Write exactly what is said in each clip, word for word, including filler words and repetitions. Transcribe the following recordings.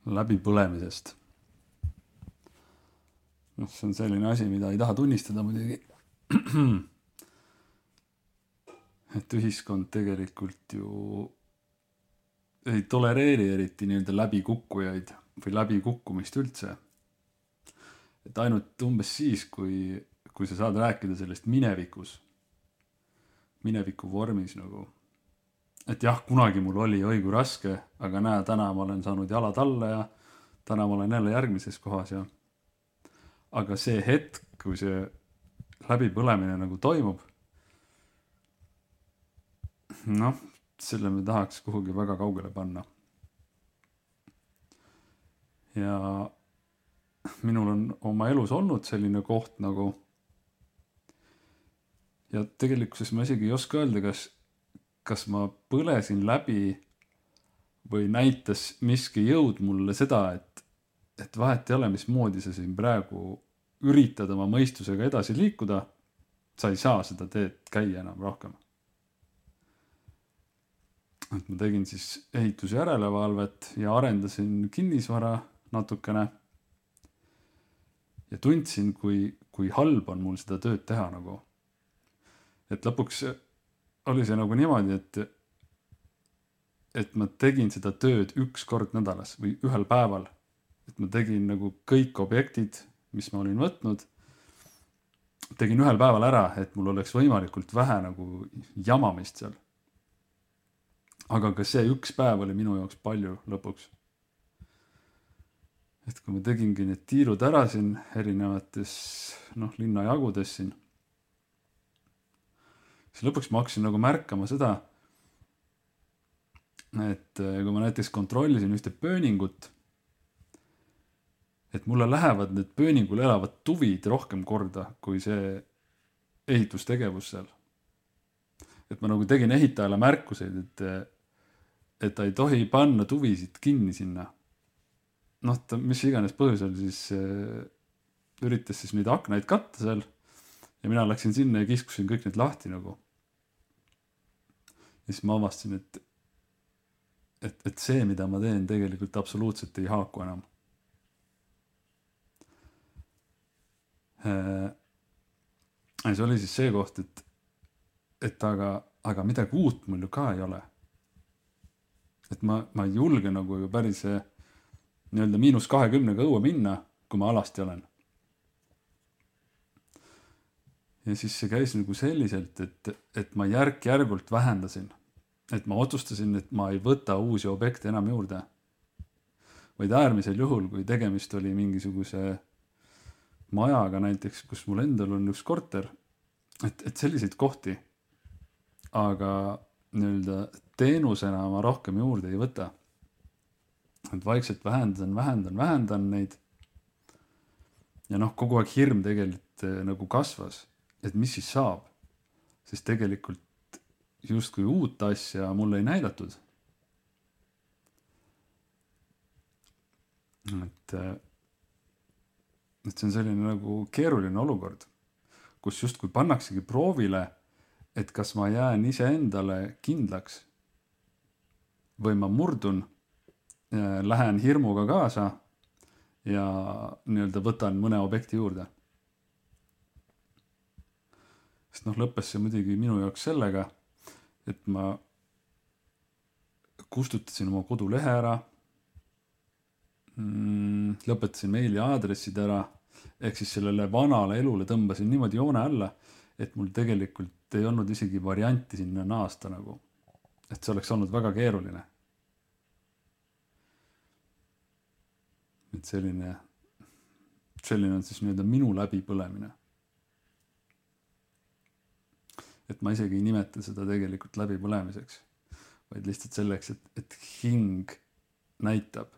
läbipõlemisest. noh, see on selline asi, mida ei taha tunnistada muidugi. et ühiskond tegelikult ju ei tolereeri eriti nii-öelda läbikukkujaid või läbikukkumist üldse. et ainult umbes siis, kui, kui sa saad rääkida sellest minevikus, mineviku vormis nagu, et jah, kunagi mul oli õigu raske, aga näe, täna ma olen saanud jalad alla ja täna ma olen jälle järgmises kohas ja aga see hetk, kui see läbipõlemine nagu toimub, noh, selle me tahaks kuhugi väga kaugele panna. Ja minul on oma elus olnud selline koht nagu, ja tegelikkuses ma isegi ei oska öelda, kas, kas ma põlesin läbi või näitas miski jõud mulle seda, et, et vahet ei ole, mismoodi sa siin praegu üritad oma mõistusega edasi liikuda, sa ei saa seda teed käia enam rohkem. et ma tegin siis ehitusjärelevalvet ja arendasin kinnisvara natukene ja tundsin, kui, kui halb on mul seda tööd teha nagu. et lõpuks oli see nagu niimoodi, et et ma tegin seda tööd üks kord nädalas või ühel päeval. et ma tegin nagu kõik objektid, mis ma olin võtnud, tegin ühel päeval ära, et mul oleks võimalikult vähe nagu jamamist seal. aga ka see üks päev oli minu jaoks palju lõpuks. et kui ma tegingi need tiirud ära siin erinevates noh, linnajagudes siin, siis lõpuks ma hakkasin nagu märkama seda, et kui ma näiteks kontrollisin ühte pööningut, et mulle lähevad need pööningul elavad tuvid rohkem korda kui see ehitustegevus seal. et ma nagu tegin ehitajale märkuseid, et, et ta ei tohi panna tuvisid kinni sinna. noh, ta mis iganes põhjusel siis äh, üritas siis neid aknaid katta seal ja mina läksin sinna ja kiskusin kõik need lahti nagu. ja siis ma avastasin, et, et, et see, mida ma teen, tegelikult absoluutselt ei haaku enam. Ja see oli siis see koht, et, et aga, aga midagi uut mul ju ka ei ole. Et ma, ma ei julge nagu ju päris nii-öelda miinus kahekümnega õue minna, kui ma alasti olen. Ja siis see käis nagu selliselt, et, et ma järk-järgult vähendasin. Et ma otsustasin, et ma ei võta uusi objekte enam juurde. Vaid äärmisel juhul, kui tegemist oli mingisuguse majaga näiteks, kus mul endal on üks korter, et, et selliseid kohti, aga nii-öelda teenusena ma rohkem juurde ei võta. Et vaikselt vähendan, vähendan, vähendan neid. Ja noh, kogu aeg hirm tegelikult nagu kasvas, et mis siis saab, sest tegelikult justkui uut asja mulle ei näidatud. Et, et see on selline nagu keeruline olukord, kus justkui pannaksegi proovile, et kas ma jään ise endale kindlaks või ma murdun, lähen hirmuga kaasa ja nii-öelda võtan mõne objekti juurde. Sest noh, lõppes see muidugi minu jaoks sellega, et ma kustutasin oma kodulehe ära, lõpetasin meili aadressid ära, ehk siis sellele vanale elule tõmbasin niimoodi joone alla, et mul tegelikult ei olnud isegi varianti sinna naasta nagu. Et see oleks olnud väga keeruline. Et selline, selline on siis nii-öelda minu läbipõlemine. Et ma isegi ei nimeta seda tegelikult läbipõlemiseks, vaid lihtsalt selleks, et, et hing näitab,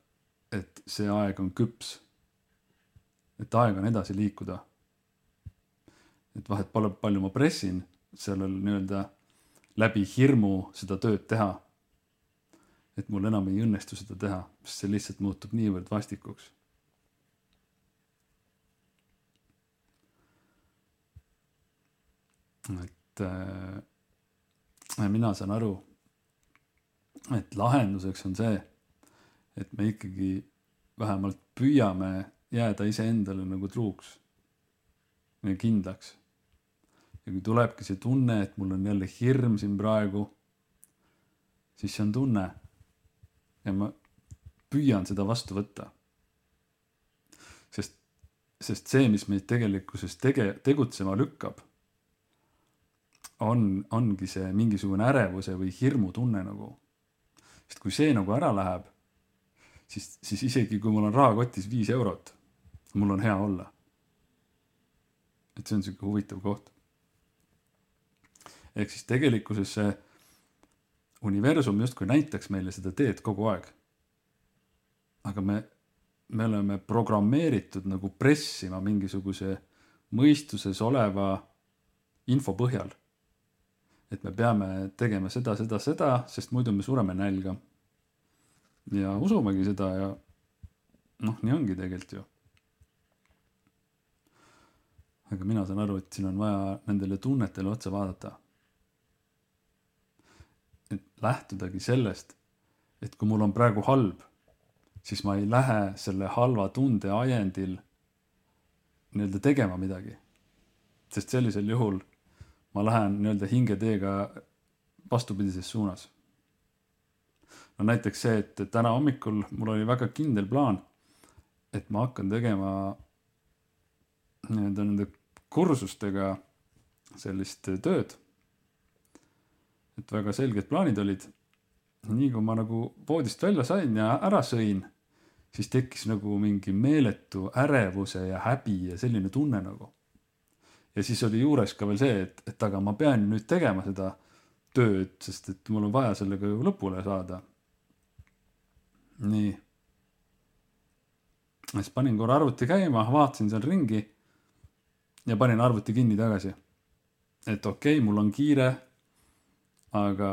et see aeg on küps. Et aeg on edasi liikuda. Et vahet palju, palju ma pressin sellel nii-öelda läbi hirmu seda tööd teha. Et mul enam ei õnnestu seda teha, sest see lihtsalt muutub niivõrd vastikuks. Et äh, mina saan aru, et lahenduseks on see, et me ikkagi vähemalt püüame jääda iseendale nagu truuks ja kindlaks. Ja kui tulebki see tunne, et mul on jälle hirm siin praegu, siis see on tunne ja ma püüan seda vastu võtta. Sest, sest see, mis meid tegelikkuses tege, tegutsema lükkab, on, ongi see mingisugune ärevuse või hirmu tunne nagu. Sest kui see nagu ära läheb, siis, siis isegi kui mul on rahakotis viis eurot, mul on hea olla. Et see on selline huvitav koht. Ehk siis tegelikkuses see universum justkui näitaks meile seda teed kogu aeg. Aga me, me oleme programmeeritud nagu pressima mingisuguse mõistuses oleva info põhjal. Et me peame tegema seda, seda, seda, sest muidu me sureme nälga. Ja usumegi seda ja noh, nii ongi tegelikult ju. Aga mina saan aru, et siin on vaja nendele tunnetele otsa vaadata. Et lähtudagi sellest, et kui mul on praegu halb, siis ma ei lähe selle halva tunde ajendil nii-öelda tegema midagi. Sest sellisel juhul ma lähen nii-öelda hingeteega vastupidises suunas. No näiteks see, et täna hommikul mul oli väga kindel plaan, et ma hakkan tegema nii-öelda nende kursustega sellist tööd. Et väga selged plaanid olid. Nii kui ma nagu voodist välja sain ja ära sõin, siis tekkis nagu mingi meeletu ärevuse ja häbi ja selline tunne nagu. Ja siis oli juures ka veel see, et, et aga ma pean nüüd tegema seda tööd, sest et mul on vaja sellega ju lõpule saada. Nii. Siis panin korra arvuti käima, vaatasin seal ringi ja panin arvuti kinni tagasi. Et okei, okay, mul on kiire, aga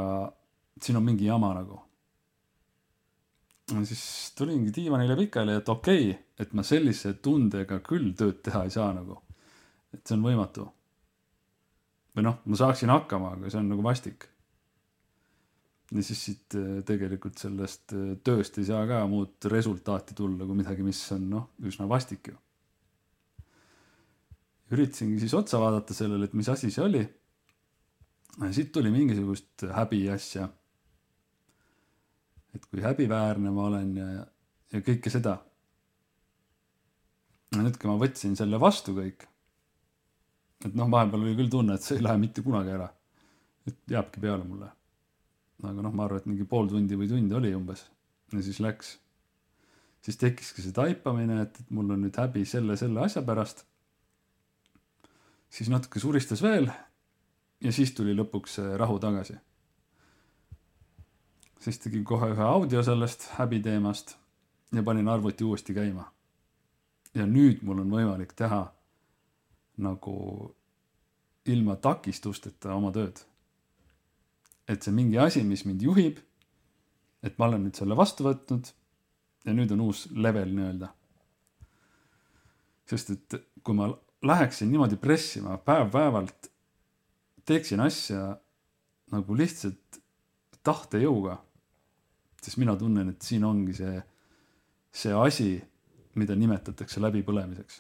siin on mingi jama nagu. Ja siis tulingi diivanile pikali, et okei, okay, et ma sellise tundega küll tööd teha ei saa nagu. Et see on võimatu. Või noh, ma saaksin hakkama, aga see on nagu vastik. Ja siis siit tegelikult sellest tööst ei saa ka muud resultaati tulla kui midagi, mis on noh, üsna vastik ju. Üritasingi siis otsa vaadata sellele, et mis asi see oli. Ja siit tuli mingisugust häbi asja. Et kui häbiväärne ma olen ja, ja kõike seda. Ja nüüd, kui ma võtsin selle vastu kõik, et noh, vahepeal oli küll tunne, et see ei lähe mitte kunagi ära. Et jääbki peale mulle. Aga noh, ma arvan, et mingi pool tundi või tundi oli umbes. Ja siis läks. Siis tekkiski see taipamine, et, et mul on nüüd häbi selle, selle asja pärast. Siis natuke suristas veel ja siis tuli lõpuks rahu tagasi. Siis tegin kohe ühe audio sellest häbi teemast ja panin arvuti uuesti käima. Ja nüüd mul on võimalik teha nagu ilma takistusteta oma tööd. Et see mingi asi, mis mind juhib, et ma olen nüüd selle vastu võtnud ja nüüd on uus level nii-öelda. Sest et kui ma läheksin niimoodi pressima päev päevalt, teeksin asja nagu lihtsalt tahtejõuga, siis mina tunnen, et siin ongi see, see asi, mida nimetatakse läbipõlemiseks.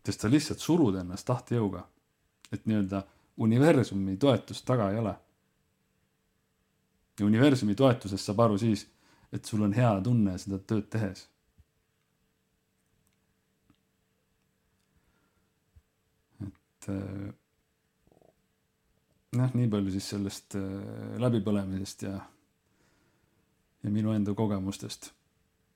Sest sa lihtsalt surud ennast tahtejõuga, et nii-öelda universumi toetust taga ei ole. Ja universumi toetusest saab aru siis, et sul on hea tunne seda tööd tehes. Et noh, nii palju siis sellest läbipõlemisest ja, ja minu enda kogemustest.